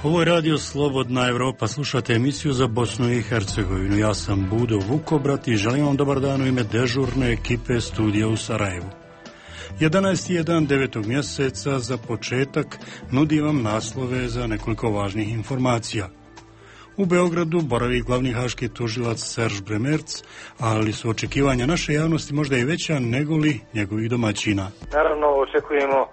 Ovo je radio Slobodna Evropa, slušate emisiju za Bosnu i Hercegovinu. Ja sam Budo Vukobrat i želim vam dobar dan u ime dežurne ekipe studija u Sarajevu. 11. je dan 9. mjeseca, za početak nudi vam naslove za nekoliko važnih informacija. U Beogradu boravi glavni haški tužilac Serž Bremerc, ali su očekivanja naše javnosti možda i veća nego li njegovih domaćina. Naravno očekujemo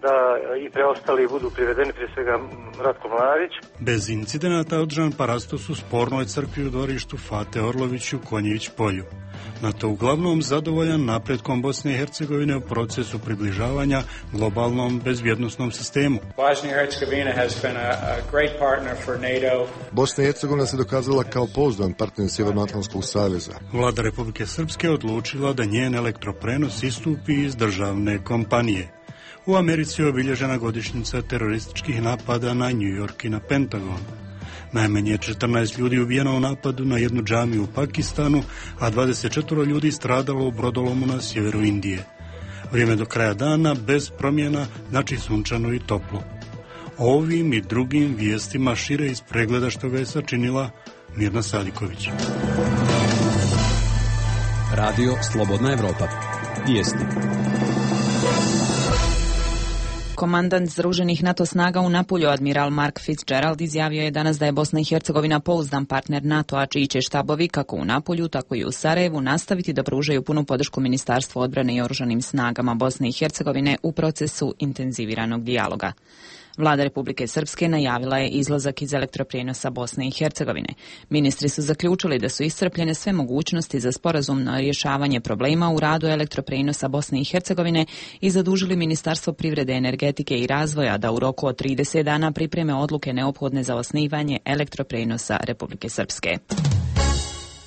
da i preostali budu privedeni, prije svega Ratko Mladić. Bez incidenata održan parastos u spornoj crkvi u dvorištu Fate Orlović u Konjević polju. NATO uglavnom zadovoljan napretkom Bosne i Hercegovine u procesu približavanja globalnom bezbjednosnom sistemu. Bosna i Hercegovina se dokazala kao pouzdan partner Sjevernoatlantskog saveza. Vlada Republike Srpske odlučila da njen elektroprenos istupi iz državne kompanije. U Americi je obilježena godišnjica terorističkih napada na New York i na Pentagon. Najmanje 14 ljudi ubijeno u napadu na jednu džamiju u Pakistanu, a 24 ljudi stradalo u brodolomu na sjeveru Indije. Vrijeme do kraja dana bez promjena, znači sunčano i toplo. Ovim i drugim vijestima šire iz pregleda što ga je sačinila Mirna Sadiković. Radio Slobodna Evropa. Vijesti. Komandant Združenih NATO snaga u Napulju, admiral Mark Fitzgerald, izjavio je danas da je Bosna i Hercegovina pouzdan partner NATO-a, čiji će štabovi kako u Napulju, tako i u Sarajevu nastaviti da pružaju punu podršku Ministarstvu odbrane i oružanim snagama Bosne i Hercegovine u procesu intenziviranog dijaloga. Vlada Republike Srpske najavila je izlazak iz elektroprijenosa Bosne i Hercegovine. Ministri su zaključili da su iscrpljene sve mogućnosti za sporazumno rješavanje problema u radu elektroprijenosa Bosne i Hercegovine i zadužili Ministarstvo privrede, energetike i razvoja da u roku od 30 dana pripreme odluke neophodne za osnivanje elektroprijenosa Republike Srpske.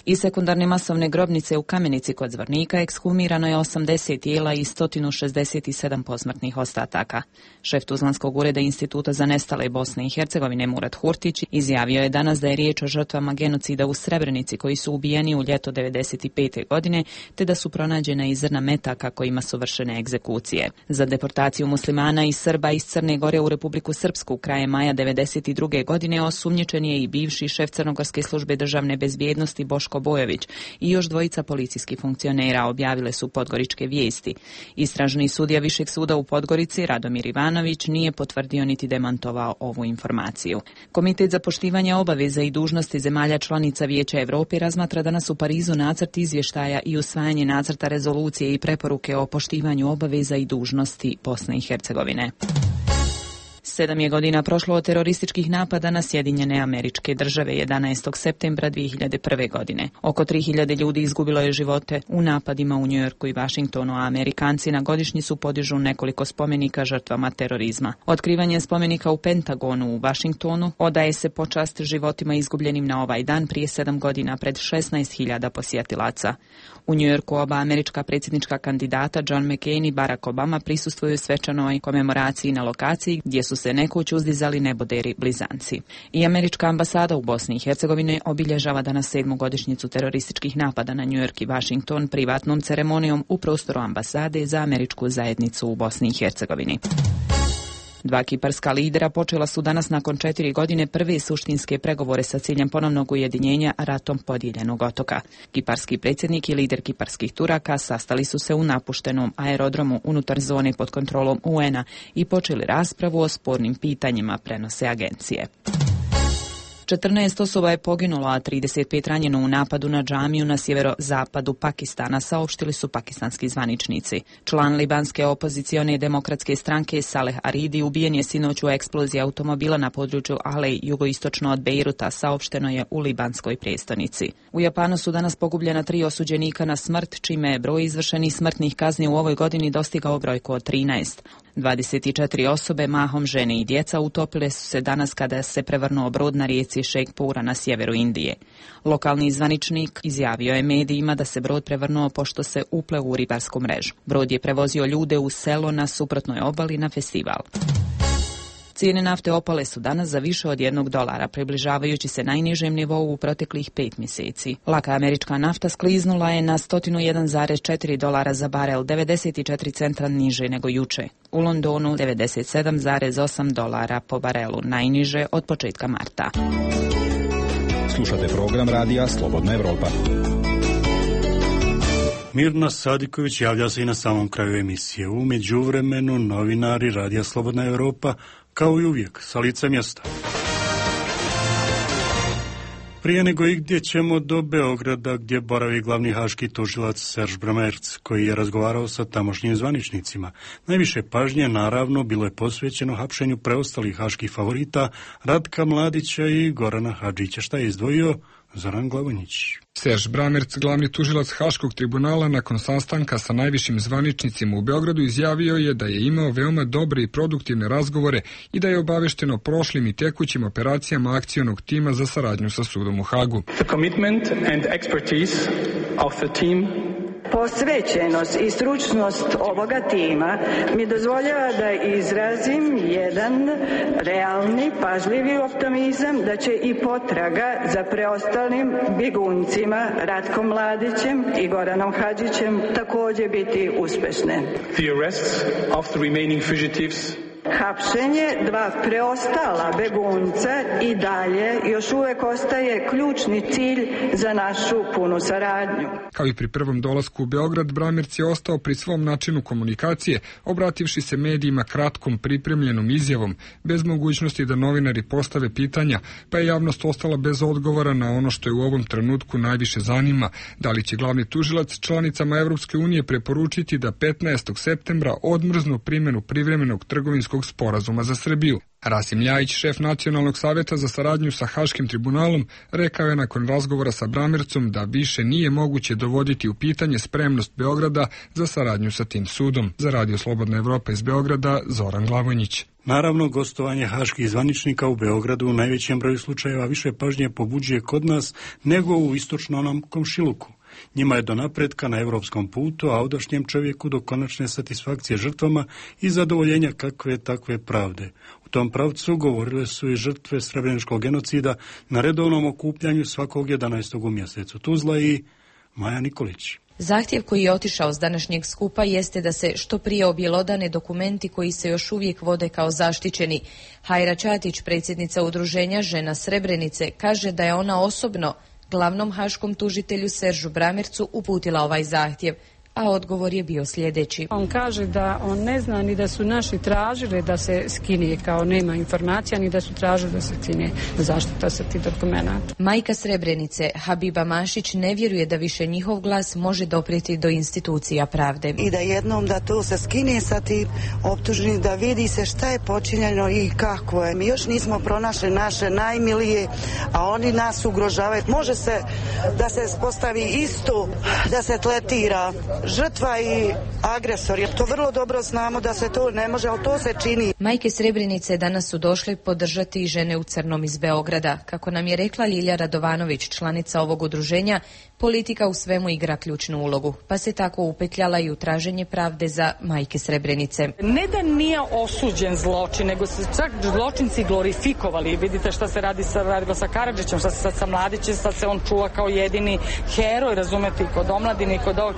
Iz sekundarne masovne grobnice u Kamenici kod Zvornika ekshumirano je 80 tijela i 167 posmrtnih ostataka. Šef Tuzlanskog ureda Instituta za nestale Bosne i Hercegovine Murat Hurtić izjavio je danas da je riječ o žrtvama genocida u Srebrenici koji su ubijeni u ljeto 1995. godine, te da su pronađena i zrna metaka kojima su vršene egzekucije. Za deportaciju muslimana i Srba iz Crne Gore u Republiku Srpsku krajem maja 1992. godine osumnjičen je i bivši šef Crnogorske službe državne bezbjednosti Boško Bojović i još dvojica policijskih funkcionera, objavile su Podgoričke vijesti. Istražni sudija Višeg suda u Podgorici Radomir Ivanović nije potvrdio niti demantovao ovu informaciju. Komitet za poštivanje obaveza i dužnosti zemalja članica Vijeća Europe razmatra danas u Parizu nacrt izvještaja i usvajanje nacrta rezolucije i preporuke o poštivanju obaveza i dužnosti Bosne i Hercegovine. 7 je godina prošlo od terorističkih napada na Sjedinjene Američke Države 11. septembra 2001. godine. Oko 3000 ljudi izgubilo je živote u napadima u Njujorku i Vašingtonu, a Amerikanci na godišnjicu podižu nekoliko spomenika žrtvama terorizma. Otkrivanje spomenika u Pentagonu u Vašingtonu odaje se počast životima izgubljenim na ovaj dan prije 7 godina pred 16.000 posjetilaca. U Njujorku oba američka predsjednička kandidata John McCain i Barack Obama prisustvuju svečanoj komemoraciji na lokaciji gdje su se nekoć uzdizali neboderi blizanci. I američka ambasada u Bosni i Hercegovini obilježava danas 7. godišnjicu terorističkih napada na Njujork i Vašington privatnom ceremonijom u prostoru ambasade za američku zajednicu u Bosni i Hercegovini. Dva kiparska lidera počela su danas nakon 4 godine prve suštinske pregovore sa ciljem ponovnog ujedinjenja ratom podijeljenog otoka. Kiparski predsjednik i lider kiparskih Turaka sastali su se u napuštenom aerodromu unutar zone pod kontrolom UN-a i počeli raspravu o spornim pitanjima, prenose agencije. 14 osoba je poginulo, a 35 ranjeno u napadu na džamiju na sjeverozapadu Pakistana, saopštili su pakistanski zvaničnici. Član libanske opozicione demokratske stranke Saleh Aridi ubijen je sinoć u eksploziji automobila na području Alej, jugoistočno od Bejruta, saopšteno je u libanskoj prijestolnici. U Japanu su danas pogubljena 3 osuđenika na smrt, čime je broj izvršenih smrtnih kazni u ovoj godini dostigao brojku od 13. 24 osobe, mahom žene i djeca, utopile su se danas kada se prevrnuo brod na rijeci Šejkhpura na sjeveru Indije. Lokalni zvaničnik izjavio je medijima da se brod prevrnuo pošto se upleo u ribarsku mrežu. Brod je prevozio ljude u selo na suprotnoj obali na festival. Cijene nafte opale su danas za više od $1, približavajući se najnižem nivou u proteklih 5 mjeseci. Laka američka nafta skliznula je na $101,4 za barel, 94 centa niže nego juče. U Londonu $97,8 po barelu, najniže od početka marta. Slušate program radija Slobodna Evropa. Mirna Sadiković javlja se i na samom kraju emisije. U međuvremenu novinari radija Slobodna Evropa, kao i uvijek, sa lica mjesta. Prije nego i gdje ćemo do Beograda, gdje boravi glavni haški tužilac Serž Bramerc, koji je razgovarao sa tamošnjim zvaničnicima. Najviše pažnje, naravno, bilo je posvećeno hapšenju preostalih haških favorita Ratka Mladića i Gorana Hadžića. Šta je izdvojio Zoran Glavonjić? Serž Bramerc, glavni tužilac Haškog tribunala, nakon sastanka sa najvišim zvaničnicima u Beogradu izjavio je da je imao veoma dobre i produktivne razgovore i da je obavešten o prošlim i tekućim operacijama akcionog tima za saradnju sa sudom u Hagu. The commitment and expertise of the team. Posvećenost i stručnost ovoga tima mi dozvoljava da izrazim jedan realni, pažljivi optimizam da će i potraga za preostalim bjeguncima Ratkom Mladićem i Goranom Hadžićem također biti uspešne. The arrests of the remaining fugitives. Hapšenje dva preostala begunca i dalje još uvek ostaje ključni cilj za našu punu saradnju. Kao i pri prvom dolasku u Beograd, Bramerc je ostao pri svom načinu komunikacije, obrativši se medijima kratkom pripremljenom izjavom, bez mogućnosti da novinari postave pitanja, pa je javnost ostala bez odgovora na ono što je u ovom trenutku najviše zanima, da li će glavni tužilac članicama Evropske unije preporučiti da 15. septembra odmrznu primjenu privremenog trgovinskog sporazuma za Srbiju. Rasim Ljajić, šef Nacionalnog savjeta za saradnju sa Haškim tribunalom, rekao je nakon razgovora sa Bramercom da više nije moguće dovoditi u pitanje spremnost Beograda za saradnju sa tim sudom. Za Radio Slobodna Evropa iz Beograda, Zoran Glavonjić. Naravno, gostovanje haških zvaničnika u Beogradu u najvećem broju slučajeva više pažnje pobuđuje kod nas nego u istočnom komšiluku. Njima je do napretka na evropskom putu, a ovdašnjem čovjeku do konačne satisfakcije žrtvama i zadovoljenja kakve takve pravde. U tom pravcu govorile su i žrtve srebreničkog genocida na redovnom okupljanju svakog 11. u mjesecu. Tuzla i Maja Nikolić. Zahtjev koji je otišao s današnjeg skupa jeste da se što prije objelodane dokumenti koji se još uvijek vode kao zaštićeni. Hajra Ćatić, predsjednica udruženja Žena Srebrenice, kaže da je ona osobno glavnom haškom tužitelju Seržu Bramercu uputila ovaj zahtjev, a odgovor je bio sljedeći. On kaže da on ne zna ni da su naši tražili da se skine, kao nema informacija, ni da su tražili da se skine zaštita sa tih dokumenata. Majka Srebrenice, Habiba Mašić, ne vjeruje da više njihov glas može doprijeti do institucija pravde. I da jednom da to se skine sa tih optužnih, da vidi se šta je počinjeno i kako je. Mi još nismo pronašli naše najmilije, a oni nas ugrožavaju. Može se da se postavi isto, da se tretira žrtva i agresor, jer to vrlo dobro znamo da se to ne može, ali to se čini. Majke Srebrenice danas su došle podržati i Žene u crnom iz Beograda. Kako nam je rekla Ljilja Radovanović, članica ovog udruženja, politika u svemu igra ključnu ulogu, pa se tako upetljala i u traženje pravde za majke Srebrenice. Ne da nije osuđen zločin, nego se čak zločinci glorifikovali. Vidite šta se radilo sa Karadžićem, šta se sad sa Mladićem, sad se on čuva kao jedini heroj, razumete, i kod omladine i kod ovog,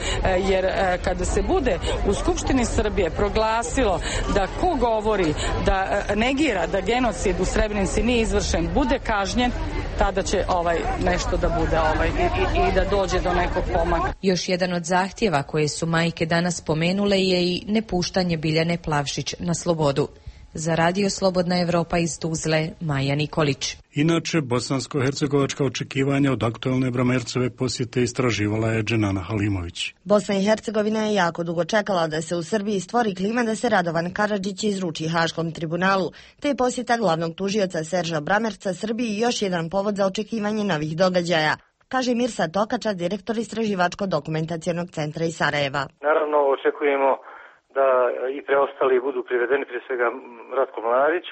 jer kada se bude u Skupštini Srbije proglasilo da ko govori, da negira da genocid u Srebrenici nije izvršen, bude kažnjen, tada će nešto da bude i da dođe do nekog pomaka. Još jedan od zahtjeva koje su majke danas spomenule je i nepuštanje Biljane Plavšić na slobodu. Za Radio Slobodna Evropa iz Tuzle, Maja Nikolić. Inače, bosansko-hercegovačka očekivanja od aktualne Bramercove posjete istraživala je Dženana Halimović. Bosna i Hercegovina je jako dugo čekala da se u Srbiji stvori klima da se Radovan Karadžić izruči Haškom tribunalu, te je posjeta glavnog tužioca Serža Bramerca Srbiji još jedan povod za očekivanje novih događaja, kaže Mirsa Tokača, direktor Istraživačko-dokumentacionog centra iz Sarajeva. Naravno, očekujemo da i preostali budu privedeni, prije svega Ratko Mladić,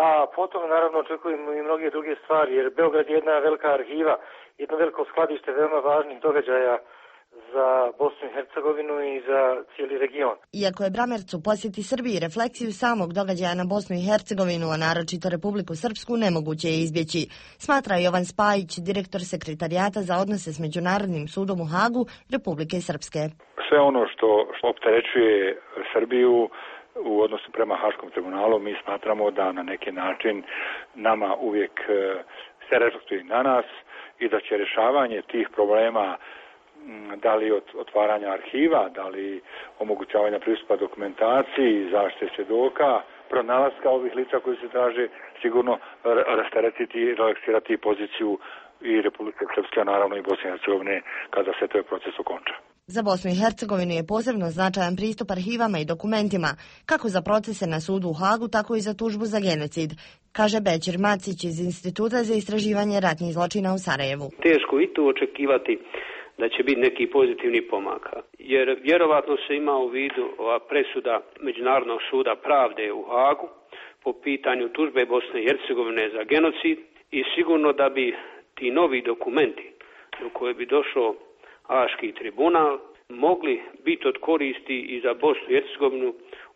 a potom naravno očekujemo i mnoge druge stvari, jer Beograd je jedna velika arhiva, jedno veliko skladište veoma važnih događaja za Bosnu i Hercegovinu i za cijeli region. Iako je Bramerc u posjeti Srbiji refleksiju samog događaja na Bosnu i Hercegovinu, a naročito Republiku Srpsku, nemoguće je izbjeći, smatra Jovan Spajić, direktor sekretarijata za odnose s Međunarodnim sudom u Hagu Republike Srpske. Sve ono što opterećuje Srbiju u odnosu prema Haškom tribunalu, mi smatramo da na neki način nama uvijek se reflektuje na nas i da će rješavanje tih problema, da li od otvaranja arhiva, da li omogućavanja pristupa dokumentaciji, zaštite svjedoka, pronalaska ovih lica koji se traže, sigurno rasteretiti i relaksirati poziciju i Republike Srpske, naravno i Bosne i Hercegovine, kada se taj proces okonča. Za Bosnu i Hercegovinu je posebno značajan pristup arhivama i dokumentima, kako za procese na sudu u Hagu, tako i za tužbu za genocid, kaže Bećir Macić iz Instituta za istraživanje ratnih zločina u Sarajevu. Teško i tu očekivati da će biti neki pozitivni pomaka, jer vjerovatno se ima u vidu ova presuda Međunarodnog suda pravde u Hagu po pitanju tužbe Bosne i Hercegovine za genocid i sigurno da bi ti novi dokumenti do koje bi došao Haški tribunal mogli biti od koristi i za Bosnu i Hercegovinu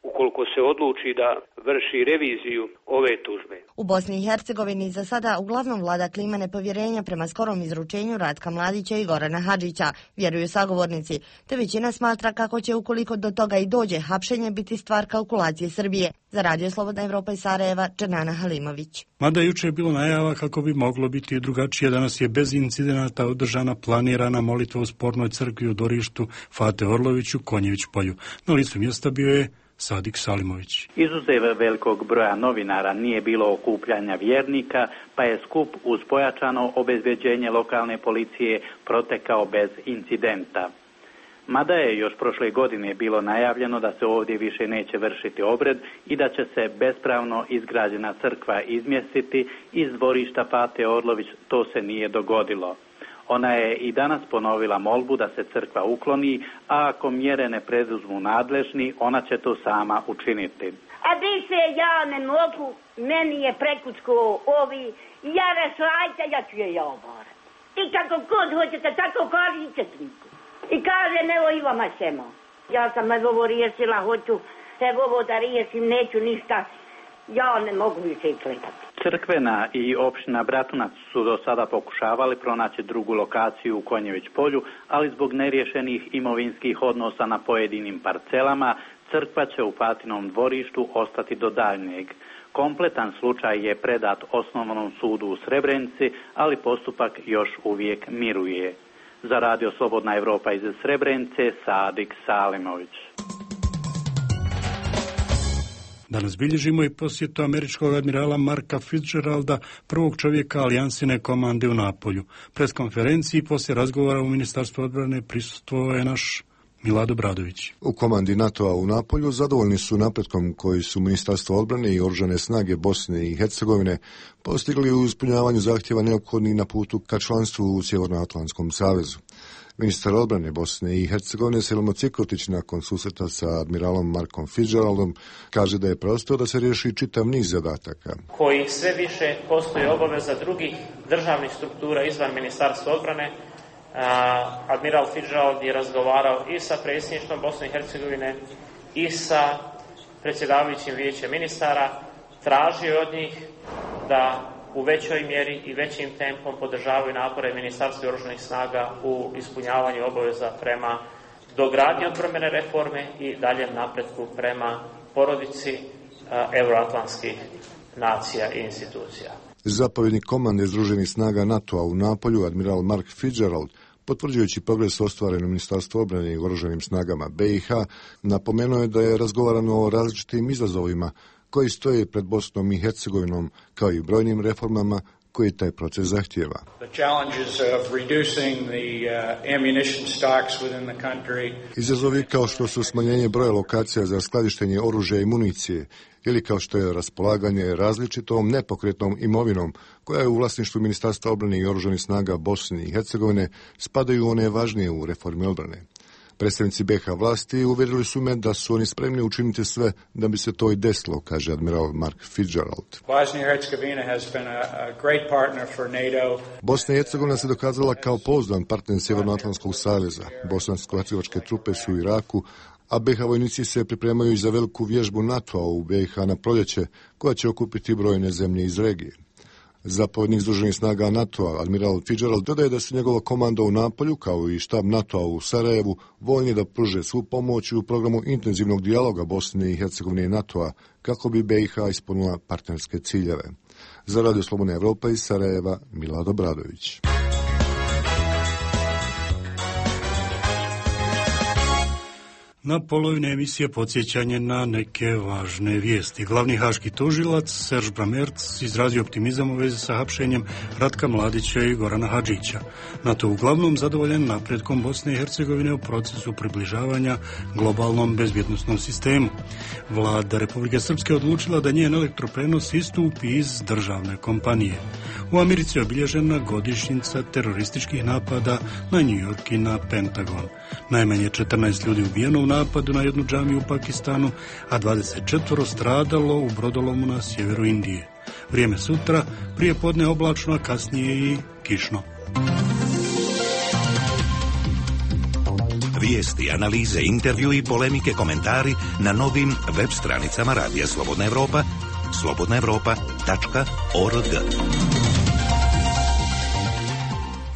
ukoliko se odluči da vrši reviziju ove tužbe. U Bosni i Hercegovini za sada uglavnom vlada klima nepovjerenja prema skorom izručenju Ratka Mladića i Gorana Hadžića, vjeruju sagovornici, te većina smatra kako će, ukoliko do toga i dođe, hapšenje biti stvar kalkulacije Srbije. Za Radio Slobodna Evropa iz Sarajeva, Černana Halimović. Mada juče je bilo najava kako bi moglo biti drugačije, danas je bez incidenata održana planirana molitva u spornoj crkvi u dvorištu Fate Orlović u Konjević polju. Na licu mjesta bio je Sadik Salimović. Izuzev velikog broja novinara nije bilo okupljanja vjernika, pa je skup uz pojačano obezbeđenje lokalne policije protekao bez incidenta. Mada je još prošle godine bilo najavljeno da se ovdje više neće vršiti obred i da će se bespravno izgrađena crkva izmjestiti iz dvorišta Fate Orlović, to se nije dogodilo. Ona je i danas ponovila molbu da se crkva ukloni, a ako mjere ne preduzmu nadležni, ona će to sama učiniti. A više ja ne mogu, meni je prekućko ovi, ja rešajte, ja ću je oborati. I kako god hoćete, tako kažite sliku. I kažem, evo i vama ćemo. Ja sam ovo riješila, hoću se ovo da riješim, neću ništa, ja ne mogu više i klepati. Crkvena i opština Bratunac su do sada pokušavali pronaći drugu lokaciju u Konjević polju, ali zbog neriješenih imovinskih odnosa na pojedinim parcelama, crkva će u Fatinom dvorištu ostati do daljnjeg. Kompletan slučaj je predat Osnovnom sudu u Srebrenici, ali postupak još uvijek miruje. Za Radio Slobodna Evropa iz Srebrenice, Sadik Salimović. Danas bilježimo i posjetu američkog admirala Marka Fitzgeralda, prvog čovjeka alijansine komande u Napolju. Pres konferenciji poslije razgovora u Ministarstvu odbrane prisustvovao je naš Milado Bradović. U komandi NATO-a u Napolju zadovoljni su napretkom koji su Ministarstvo odbrane i Oružane snage Bosne i Hercegovine postigli u ispunjavanju zahtjeva neophodnih na putu ka članstvu u Sjevernoatlantskom savezu. Ministar odbrane Bosne i Hercegovine Selimo Cikotić nakon susreta sa admiralom Markom Fitzgeraldom kaže da je prostor da se riješi čitav niz zadataka. Koji sve više postoji obaveza drugih državnih struktura izvan Ministarstva odbrane. Admiral Fitzgerald je razgovarao i sa predsjedništvom Bosne i Hercegovine i sa predsjedavajućim vijećem ministara, tražio od njih da u većoj mjeri i većim tempom podržavaju napore Ministarstva oružanih snaga u ispunjavanju obaveza prema dogradnji odbrambene reforme i daljem napretku prema porodici euroatlantskih nacija i institucija. Zapovjednik komande Združenih snaga NATO-a u Napolju, admiral Mark Fitzgerald, potvrđujući progres ostvaren u Ministarstvu obrane i oružanim snagama BiH, napomenuo je da je razgovarano o različitim izazovima koji stoje pred Bosnom i Hercegovinom, kao i brojnim reformama koji taj proces zahtijeva. Izazovi kao što su smanjenje broja lokacija za skladištenje oružja i municije, ili kao što je raspolaganje različitom nepokretnom imovinom koja je u vlasništvu Ministarstva obrane i oružanih snaga Bosne i Hercegovine, spadaju one važnije u reformi odbrane. Predstavnici BiH vlasti uvjerili su me da su oni spremni učiniti sve da bi se to i desilo, kaže admiral Mark Fitzgerald. Bosna i Hercegovina se dokazala kao pouzdan partner Sjevernoatlantskog saveza. Bosansko-hercegovačke trupe su u Iraku, a BiH vojnici se pripremaju i za veliku vježbu NATO-a u BiH na proljeće, koja će okupiti brojne zemlje iz regije. Zapovjednik Združenih snaga NATO-a, admiral Fitzgerald, dodaje da su njegova komanda u Napolju, kao i štab NATO-a u Sarajevu, voljni da pruže svu pomoć u programu intenzivnog dijaloga Bosne i Hercegovine i NATO-a, kako bi BiH ispunila partnerske ciljeve. Za Radio Slobodna Evropa iz Sarajeva, Milad Obradović. Na polovine emisije podsjećanje na neke važne vijesti. Glavni haški tužilac Serž Bramerc izrazio optimizam u vezi sa hapšenjem Ratka Mladića i Gorana Hadžića. NATO uglavnom zadovoljen napretkom Bosne i Hercegovine u procesu približavanja globalnom bezbjednosnom sistemu. Vlada Republike Srpske odlučila da njen elektroprenos istupi iz državne kompanije. U Americi je obilježena godišnjica terorističkih napada na New York i na Pentagon. Najmanje 14 ljudi ubijeno u napadu na jednu džamiju u Pakistanu, a 24 stradalo u brodolomu na sjeveru Indije. Vrijeme sutra, prije podne oblačno, a kasnije i kišno. Vijesti, analize, intervju i polemike, komentari na novim web stranicama Radija Slobodna Evropa, slobodnaevropa.org.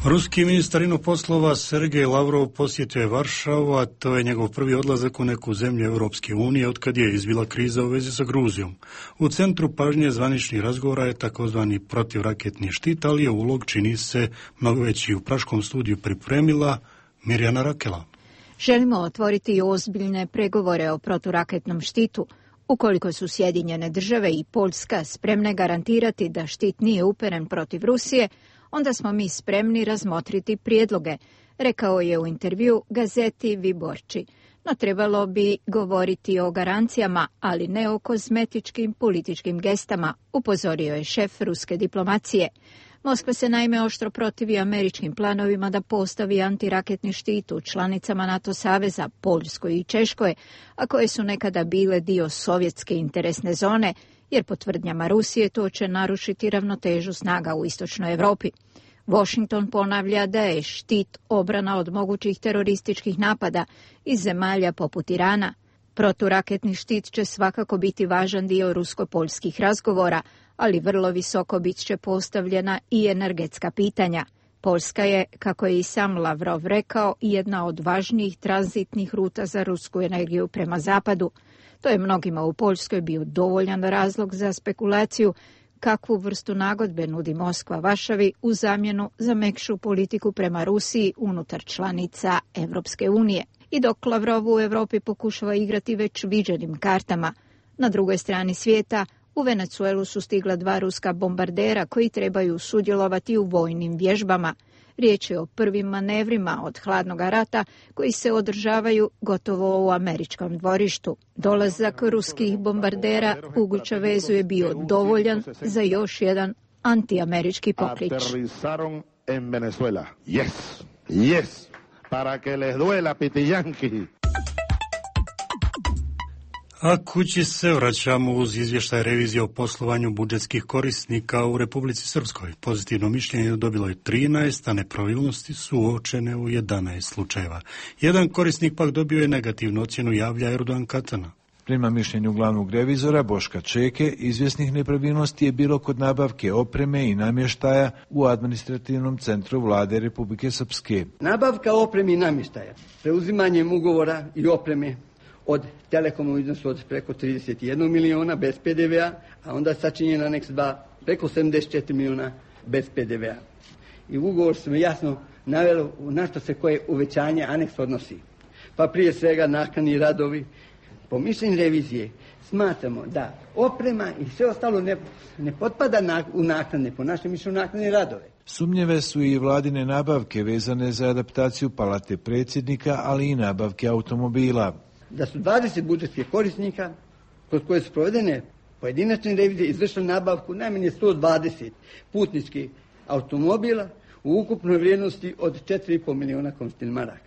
Ruski ministar inoposlova Sergej Lavrov posjetio je Varšavu, a to je njegov prvi odlazak u neku zemlju Europske unije otkad je izbila kriza u vezi sa Gruzijom. U centru pažnje zvaničnih razgovora je takozvani protivraketni štit, ali je ulog, čini se, mnogo veći. U Praškom studiju pripremila Mirjana Rakela. Želimo otvoriti ozbiljne pregovore o proturaketnom štitu. Ukoliko su Sjedinjene države i Poljska spremne garantirati da štit nije uperen protiv Rusije, onda smo mi spremni razmotriti prijedloge, rekao je u intervju gazeti Viborči. No trebalo bi govoriti o garancijama, ali ne o kozmetičkim političkim gestama, upozorio je šef ruske diplomacije. Moskva se naime oštro protivi američkim planovima da postavi antiraketni štit u članicama NATO saveza, Poljskoj i Češkoj, a koje su nekada bile dio sovjetske interesne zone, jer po tvrdnjama Rusije to će narušiti ravnotežu snaga u istočnoj Europi. Washington ponavlja da je štit obrana od mogućih terorističkih napada iz zemalja poput Irana. Proturaketni štit će svakako biti važan dio rusko-poljskih razgovora, ali vrlo visoko bit će postavljena i energetska pitanja. Poljska je, kako je i sam Lavrov rekao, jedna od važnijih tranzitnih ruta za rusku energiju prema zapadu. To je mnogima u Poljskoj bio dovoljan razlog za spekulaciju kakvu vrstu nagodbe nudi Moskva Varšavi u zamjenu za mekšu politiku prema Rusiji unutar članica Evropske unije. I dok Lavrov u Europi pokušava igrati već viđenim kartama, na drugoj strani svijeta u Venezuelu su stigla 2 ruska bombardera koji trebaju sudjelovati u vojnim vježbama. Riječ je o prvim manevrima od hladnog rata koji se održavaju gotovo u američkom dvorištu. Dolazak ruskih bombardera u Gučavezu je bio dovoljan za još jedan antiamerički poklič. A kući se vraćamo uz izvještaj revizije o poslovanju budžetskih korisnika u Republici Srpskoj. Pozitivno mišljenje dobilo je 13, a nepravilnosti su uočene u 11 slučajeva. Jedan korisnik pak dobio je negativnu ocjenu, javlja Erdogan Katana. Prema mišljenju glavnog revizora Boška Čeke, izvjesnih nepravilnosti je bilo kod nabavke opreme i namještaja u administrativnom centru vlade Republike Srpske. Nabavka opreme i namještaja, preuzimanjem ugovora i opreme od Telekoma u iznosu od preko 31 miliona bez PDV-a, a onda sačinjen aneks 2 preko 74 miliona bez PDV-a. I u ugovor smo jasno naveli na što se koje uvećanje aneks odnosi. Pa prije svega naknadni radovi. Po mišljenju revizije smatramo da oprema i sve ostalo ne potpada u naknadne, po našem mišljenju naknadne radove. Sumnjive su i vladine nabavke vezane za adaptaciju palate predsjednika, ali i nabavke automobila. Da su 20 budžetskih korisnika kroz koje su provedene pojedinačne revizije izvršile nabavku najmanje 120 putničkih automobila u ukupnoj vrijednosti od 4,5 miliona konstantnih maraka.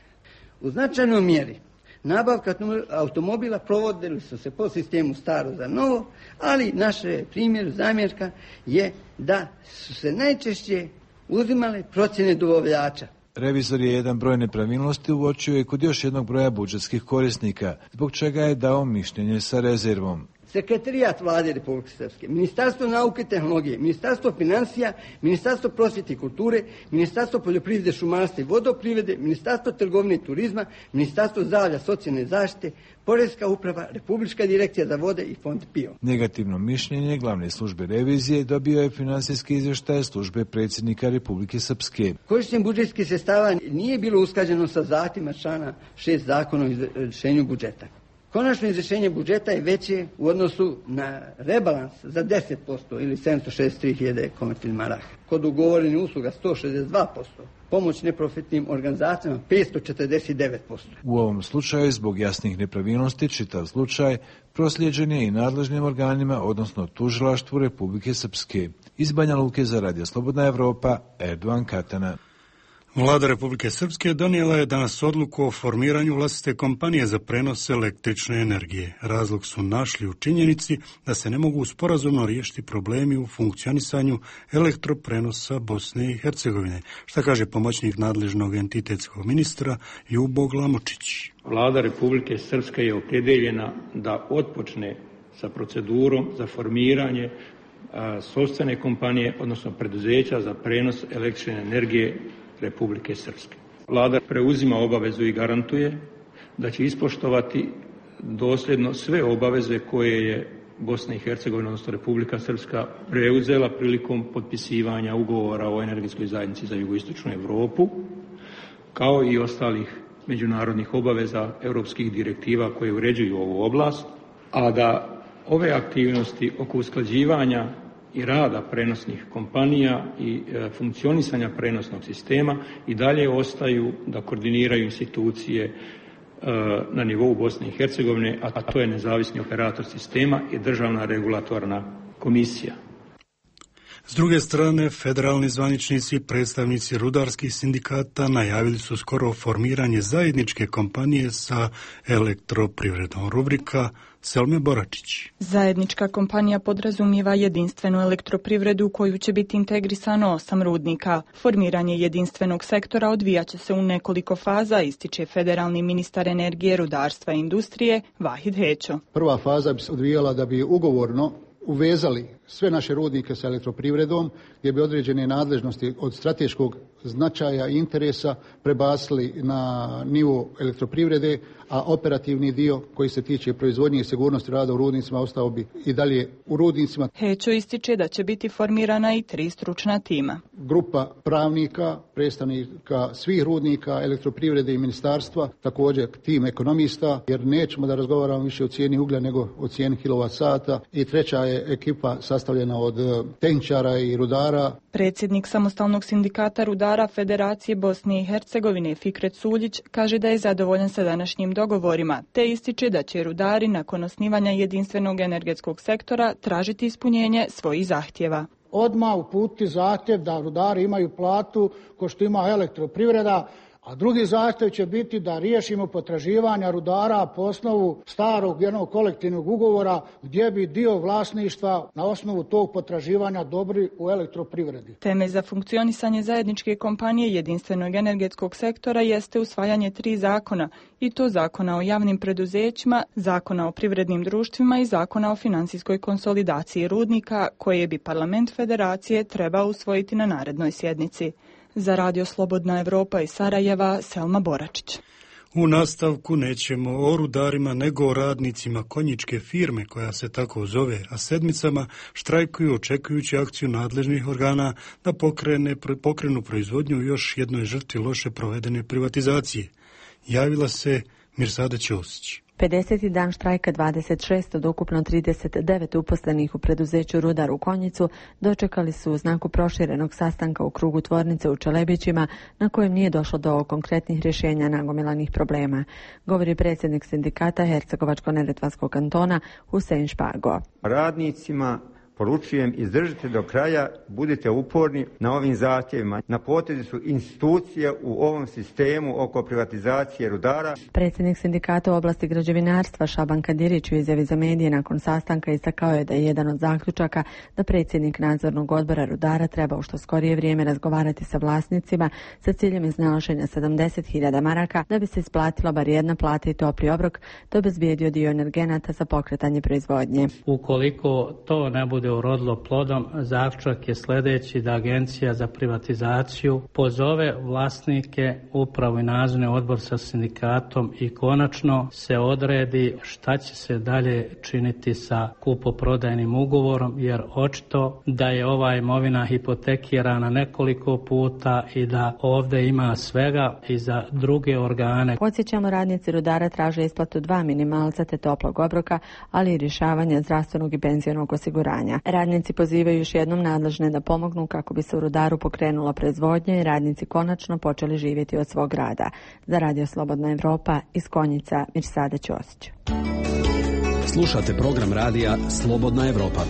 U značajnoj mjeri nabavka automobila provodili su se po sistemu staro za novo, ali naše primjer, zamjerka je da su se najčešće uzimale procjene dobavljača. Revizor je jedan broj nepravilnosti uočio i kod još jednog broja budžetskih korisnika, zbog čega je dao mišljenje sa rezervom. Sekretarijat Vlade Republike Srpske, Ministarstvo nauke i tehnologije, Ministarstvo financija, Ministarstvo prosvjete i kulture, Ministarstvo poljoprivrede, šumarstva i vodoprivrede, Ministarstvo trgovine i turizma, Ministarstvo zdravlja, socijalne zaštite, Poreska uprava, Republička direkcija za vode i Fond PIO. Negativno mišljenje glavne službe revizije dobio je finansijski izvještaj službe predsjednika Republike Srpske. Korištenje budžetskih sredstava nije bilo usklađeno sa zahtjevima člana 6 zakona o izvršenju budžeta. Konačno izvršenje budžeta je veće u odnosu na rebalans za 10% ili 763.000 konvertibilnih maraka. Kod ugovorenih usluga 162%, pomoć neprofitnim organizacijama 549%. U ovom slučaju, zbog jasnih nepravilnosti, čitav slučaj proslijeđen je i nadležnim organima, odnosno tužilaštvu Republike Srpske. Iz Banja Luke za Radio Slobodna Evropa, Erdogan Katana. Vlada Republike Srpske donijela je danas odluku o formiranju vlastite kompanije za prenos električne energije. Razlog su našli u činjenici da se ne mogu sporazumno riješiti problemi u funkcionisanju elektroprenosa Bosne i Hercegovine. Šta kaže pomoćnik nadležnog entitetskog ministra Ljubo Glamočić? Vlada Republike Srpske je opredjeljena da otpočne sa procedurom za formiranje sopstvene kompanije, odnosno preduzeća za prenos električne energije Republike Srpske. Vlada preuzima obavezu i garantuje da će ispoštovati dosljedno sve obaveze koje je Bosna i Hercegovina, odnosno Republika Srpska, preuzela prilikom potpisivanja ugovora o energetskoj zajednici za jugoistočnu Europu, kao i ostalih međunarodnih obaveza europskih direktiva koje uređuju ovu oblast, a da ove aktivnosti oko usklađivanja i rada prenosnih kompanija i funkcionisanja prenosnog sistema i dalje ostaju da koordiniraju institucije na nivou Bosne i Hercegovine, a to je nezavisni operator sistema i državna regulatorna komisija. S druge strane, federalni zvaničnici i predstavnici rudarskih sindikata najavili su skoro formiranje zajedničke kompanije sa elektroprivredom. Rubrika Selme Boračić. Zajednička kompanija podrazumijeva jedinstvenu elektroprivredu u koju će biti integrisano 8 rudnika. Formiranje jedinstvenog sektora odvijaće se u nekoliko faza, ističe federalni ministar energije, rudarstva i industrije Vahid Hećo. Prva faza bi se odvijala da bi ugovorno uvezali sve naše rudnike sa elektroprivredom, gdje bi određene nadležnosti od strateškog značaja i interesa prebacili na nivo elektroprivrede, a operativni dio koji se tiče proizvodnje i sigurnosti rada u rudnicima ostao bi i dalje u rudnicima. Hećo ističe da će biti formirana i 3 stručna tima. Grupa pravnika, predstavnika svih rudnika, elektroprivrede i ministarstva, također tim ekonomista, jer nećemo da razgovaramo više o cijeni uglja nego o cijeni kilovat-sata. I treća je ekipa sastavljena od tehničara i rudara. Predsjednik samostalnog sindikata rudara Federacije Bosne i Hercegovine Fikret Suljić kaže da je zadovoljan sa današnjim dogovorima, te ističe da će rudari nakon osnivanja jedinstvenog energetskog sektora tražiti ispunjenje svojih zahtjeva. Odmah uputiti zahtjev da rudari imaju platu ko što ima elektroprivreda, a drugi zahtjev će biti da riješimo potraživanja rudara po osnovu starog jednog kolektivnog ugovora gdje bi dio vlasništva na osnovu tog potraživanja dobri u elektroprivredi. Teme za funkcionisanje zajedničke kompanije jedinstvenog energetskog sektora jeste usvajanje 3 zakona, i to Zakona o javnim preduzećima, Zakona o privrednim društvima i Zakona o financijskoj konsolidaciji rudnika, koje bi Parlament Federacije trebao usvojiti na narednoj sjednici. Za Radio Slobodna Evropa iz Sarajeva, Selma Boračić. U nastavku nećemo o rudarima nego o radnicima konjičke firme koja se tako zove, a sedmicama štrajkuju očekujući akciju nadležnih organa da pokrenu proizvodnju u još jednoj žrtvi loše provedene privatizacije. Javila se Mirsada Ćosić. 50. dan štrajka 26 od ukupno 39 uposlenih u preduzeću Rudar u Konjicu dočekali su u znaku proširenog sastanka u krugu tvornice u Čelebićima, na kojem nije došlo do konkretnih rješenja nagomilanih problema, govori predsjednik sindikata Hercegovačko-neretvanskog kantona Husein Špago. Radnicima Poručujem, izdržite do kraja, budite uporni na ovim zahtjevima. Na potezu su institucije u ovom sistemu oko privatizacije rudara. Predsjednik sindikata u oblasti građevinarstva Šaban Kadirić u izjavi za medije nakon sastanka istakao je da je jedan od zaključaka da predsjednik nadzornog odbora rudara treba u što skorije vrijeme razgovarati sa vlasnicima sa ciljem iznalaženja 70.000 maraka da bi se isplatila bar jedna plata i topli obrok, te obezbijedio dio energenata za pokretanje proizvodnje. Ukoliko to ne bude urodilo plodom, zaključak je sljedeći: da Agencija za privatizaciju pozove vlasnike, upravu i nadzorni odbor sa sindikatom i konačno se odredi šta će se dalje činiti sa kupoprodajnim ugovorom, jer očito da je ova imovina hipotekirana nekoliko puta i da ovdje ima svega i za druge organe. Podsjećamo, radnici rudara traže isplatu 2 minimalca te toplog obroka, ali i rješavanje zdravstvenog i penzionog osiguranja. Radnici pozivaju još jednom nadležne da pomognu kako bi se u rudaru pokrenula proizvodnja i radnici konačno počeli živjeti od svog rada. Za Radio Slobodna Evropa iz Konjica, Mirsada Ćosić. Slušate program radija Slobodna Evropa.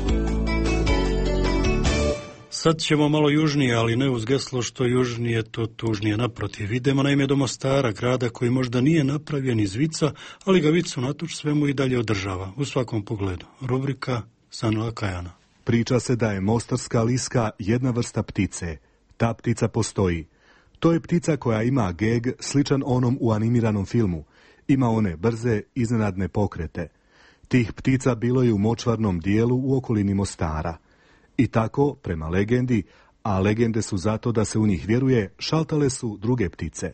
Sad ćemo malo južnije, ali ne uz geslo što južnije, to tužnije. Naprotiv, idemo naime do Mostara, grada koji možda nije napravljen iz vica, ali ga vic unatoč svemu i dalje održava, u svakom pogledu. Rubrika Sanila Kajana. Priča se da je mostarska liska jedna vrsta ptice. Ta ptica postoji. To je ptica koja ima geg sličan onom u animiranom filmu. Ima one brze, iznenadne pokrete. Tih ptica bilo je u močvarnom dijelu u okolini Mostara. I tako, prema legendi, a legende su zato da se u njih vjeruje, šaltale su druge ptice.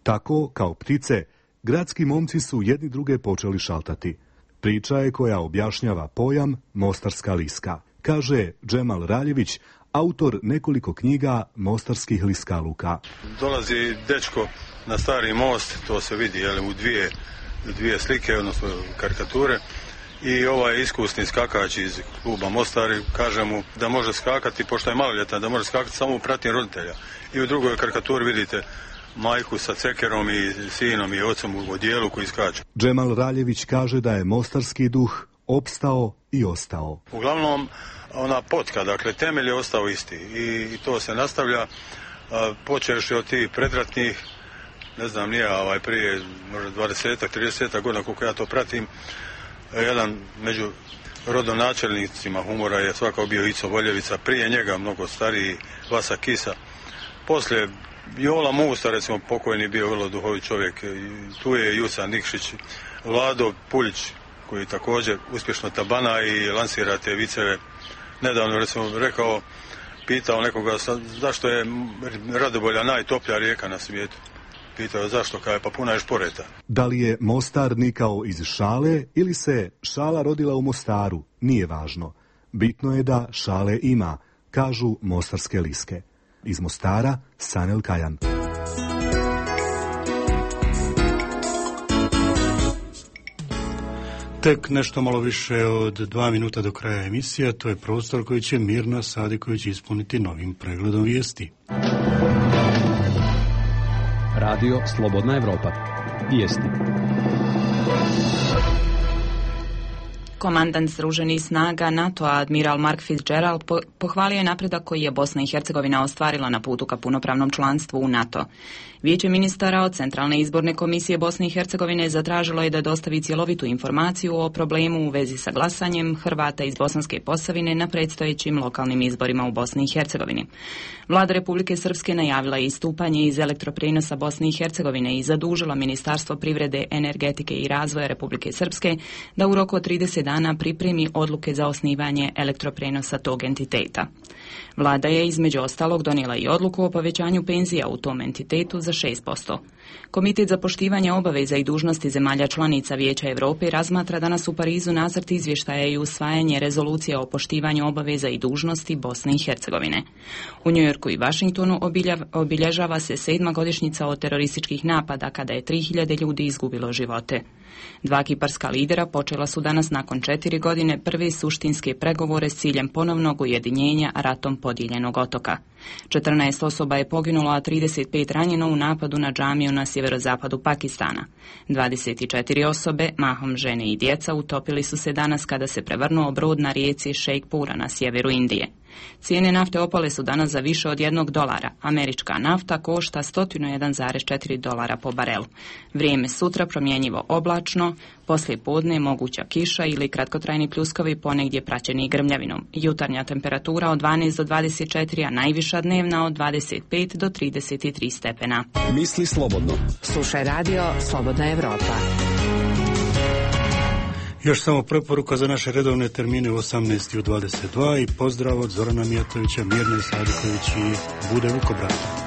Tako, kao ptice, gradski momci su jedni druge počeli šaltati. Priča je koja objašnjava pojam mostarska liska. Kaže Džemal Raljević, autor nekoliko knjiga mostarskih liskaluka. Dolazi dečko na stari most, to se vidi u dvije slike, odnosno karikature. I ovaj iskusni skakač iz kluba Mostari kaže mu da može skakati, pošto je maloljetan, da može skakati samo u pratnji roditelja. I u drugoj karikaturi vidite majku sa cekerom i sinom i ocom u odijelu koji skače. Džemal Raljević kaže da je mostarski duh opstao i ostao. Uglavnom, ona potka, dakle, temelj je ostao isti i to se nastavlja, počeš od tih predratnih, ne znam nije, prije možda 20-30 godina koliko ja to pratim. Jedan među rodonačelnicima humora je svakako bio Ico Voljevica, prije njega mnogo stariji Vasa Kisa. Poslije Jola Musta, recimo, pokojni bio vrlo duhovit čovjek. Tu je Juca Nikšić, Vlado Puljić, koji također uspješno tabana i lansira te viceve. Nedavno, recimo, pitao nekoga zašto je Radobolja najtoplja rijeka na svijetu. Pitao zašto, kaže, pa puna je šporeta. Da li je Mostar nikao iz šale ili se šala rodila u Mostaru, nije važno. Bitno je da šale ima, kažu mostarske liske. Iz Mostara, Sanel Kajan. Tek nešto malo više od 2 minuta do kraja emisija, to je prostor koji će Mirna Sadiković ispuniti novim pregledom vijesti. Radio Slobodna Evropa. Vijesti. Komandant Združenih snaga NATO-a admiral Mark Fitzgerald pohvalio je napredak koji je Bosna i Hercegovina ostvarila na putu ka punopravnom članstvu u NATO. Vijeće ministara od Centralne izborne komisije Bosne i Hercegovine zatražilo je da dostavi cjelovitu informaciju o problemu u vezi sa glasanjem Hrvata iz Bosanske Posavine na predstojećim lokalnim izborima u Bosni i Hercegovini. Vlada Republike Srpske najavila je istupanje iz elektroprijenosa Bosne i Hercegovine i zadužila Ministarstvo privrede, energetike i razvoja Republike Srpske da u roku od 30 dana pripremi odluke za osnivanje elektroprijenosa tog entiteta. Vlada je između ostalog donijela i odluku o povećanju penzija u tom entitetu za 6%. Komitet za poštivanje obaveza i dužnosti zemalja članica Vijeća Europe razmatra danas u Parizu nacrt izvještaja i usvajanje rezolucije o poštivanju obaveza i dužnosti Bosne i Hercegovine. U Njujorku i Vašingtonu obilježava se 7. godišnjica od terorističkih napada kada je 3000 ljudi izgubilo živote. Dva kiparska lidera počela su danas nakon 4 godine prve suštinske pregovore s ciljem ponovnog ujedinjenja ratom kartom podijeljenog otoka. 14 osoba je poginulo, a 35 ranjeno u napadu na džamiju na sjeverozapadu Pakistana. 24 osobe, mahom žene i djeca, utopili su se danas kada se prevrnuo brod na rijeci Šejkpura na sjeveru Indije. Cijene nafte opale su danas za više od $1. Američka nafta košta $101,4 po barelu. Vrijeme sutra promjenjivo oblačno, poslije podne moguća kiša ili kratkotrajni pljuskovi, ponegdje praćeni grmljavinom. Jutarnja temperatura od 12 do 24, a najviša dnevna od 25 do 33 stepena. Misli slobodno. Slušaj radio Slobodna Evropa. Još samo preporuka za naše redovne termine u 18 i u 22 i pozdrav od Zorana Mijatovića, Mirne Sadiković i Bude Vukobrata.